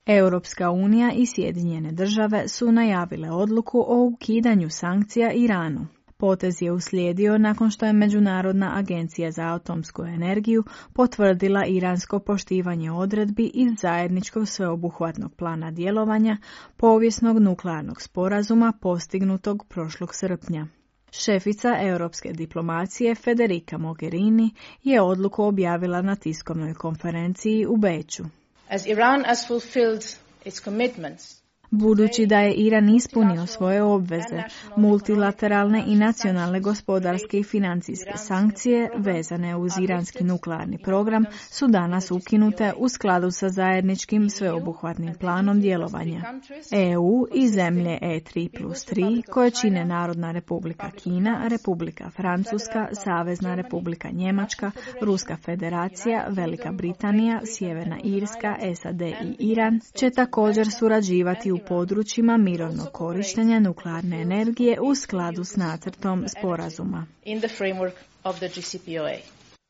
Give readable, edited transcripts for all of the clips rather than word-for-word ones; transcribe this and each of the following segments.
Europska unija i Sjedinjene države su najavile odluku o ukidanju sankcija Iranu. Potez je uslijedio nakon što je Međunarodna agencija za atomsku energiju potvrdila iransko poštivanje odredbi iz zajedničkog sveobuhvatnog plana djelovanja povijesnog nuklearnog sporazuma postignutog prošlog srpnja. Šefica europske diplomacije Federica Mogherini je odluku objavila na tiskovnoj konferenciji u Beču. As Iran has fulfilled its commitments, budući da je Iran ispunio svoje obveze, multilateralne i nacionalne gospodarske i financijske sankcije vezane uz iranski nuklearni program su danas ukinute u skladu sa zajedničkim sveobuhvatnim planom djelovanja. EU i zemlje E3+3 koje čine Narodna republika Kina, Republika Francuska, Savezna republika Njemačka, Ruska federacija, Velika Britanija, Sjeverna Irska, SAD i Iran će također surađivati u područjima mirovnog korištenja nuklearne energije u skladu s nacrtom sporazuma.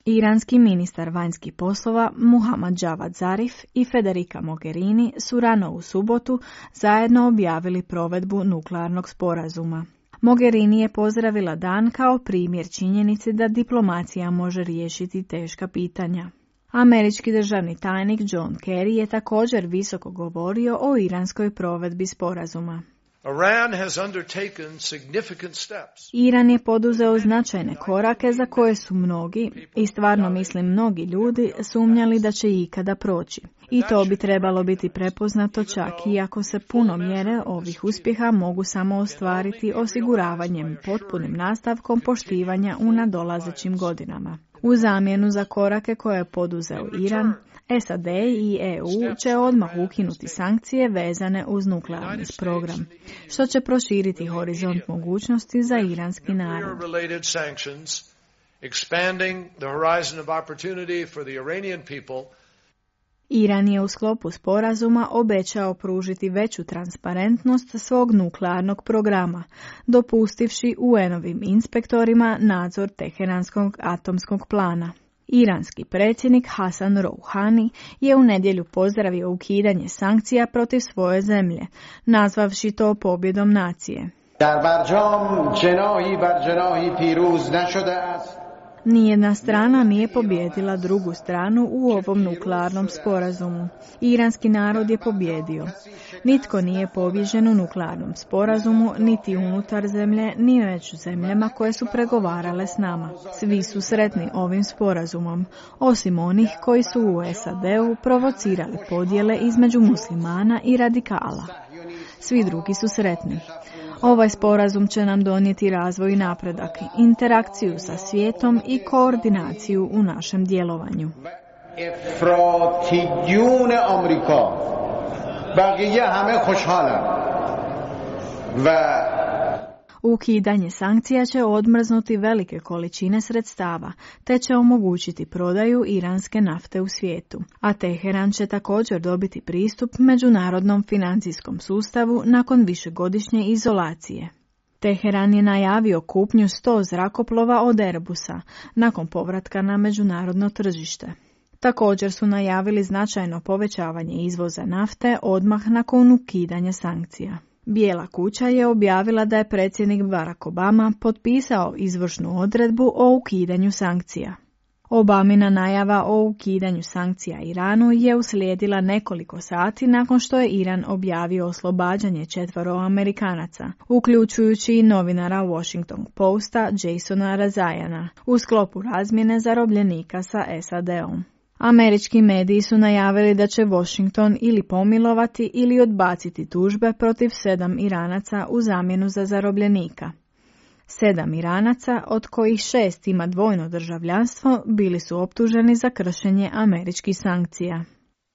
Iranski ministar vanjskih poslova Muhammad Javad Zarif i Federica Mogherini su rano u subotu zajedno objavili provedbu nuklearnog sporazuma. Mogherini je pozdravila dan kao primjer činjenici da diplomacija može riješiti teška pitanja. Američki državni tajnik John Kerry je također visoko govorio o iranskoj provedbi sporazuma. Iran je poduzeo značajne korake za koje su mnogi, i stvarno mislim mnogi ljudi, sumnjali da će ikada proći. I to bi trebalo biti prepoznato čak i ako se puno mjere ovih uspjeha mogu samo ostvariti osiguravanjem potpunim nastavkom poštivanja u nadolazećim godinama. U zamjenu za korake koje je poduzeo Iran, SAD i EU će odmah ukinuti sankcije vezane uz nuklearni program, što će proširiti horizont mogućnosti za iranski narod. Iran je u sklopu sporazuma obećao pružiti veću transparentnost svog nuklearnog programa, dopustivši UN-ovim inspektorima nadzor Teheranskog atomskog plana. Iranski predsjednik Hasan Rouhani je u nedjelju pozdravio ukidanje sankcija protiv svoje zemlje, nazvavši to pobjedom nacije. Nijedna strana nije pobijedila drugu stranu u ovom nuklearnom sporazumu. Iranski narod je pobjedio. Nitko nije pobijeđen u nuklearnom sporazumu, niti unutar zemlje, ni među zemljama koje su pregovarale s nama. Svi su sretni ovim sporazumom, osim onih koji su u SAD-u provocirali podjele između muslimana i radikala. Svi drugi su sretni. Ovaj sporazum će nam donijeti razvoj i napredak, interakciju sa svijetom i koordinaciju u našem djelovanju. Ukidanje sankcija će odmrznuti velike količine sredstava, te će omogućiti prodaju iranske nafte u svijetu, a Teheran će također dobiti pristup međunarodnom financijskom sustavu nakon višegodišnje izolacije. Teheran je najavio kupnju 100 zrakoplova od Airbusa nakon povratka na međunarodno tržište. Također su najavili značajno povećavanje izvoza nafte odmah nakon ukidanja sankcija. Bijela kuća je objavila da je predsjednik Barack Obama potpisao izvršnu odredbu o ukidanju sankcija. Obamina najava o ukidanju sankcija Iranu je uslijedila nekoliko sati nakon što je Iran objavio oslobađanje 4 Amerikanaca, uključujući i novinara Washington Posta Jasona Rezaiana, u sklopu razmjene zarobljenika sa SAD-om. Američki mediji su najavili da će Washington ili pomilovati ili odbaciti tužbe protiv 7 Iranaca u zamjenu za zarobljenika. 7 Iranaca, od kojih 6 ima dvojno državljanstvo, bili su optuženi za kršenje američkih sankcija.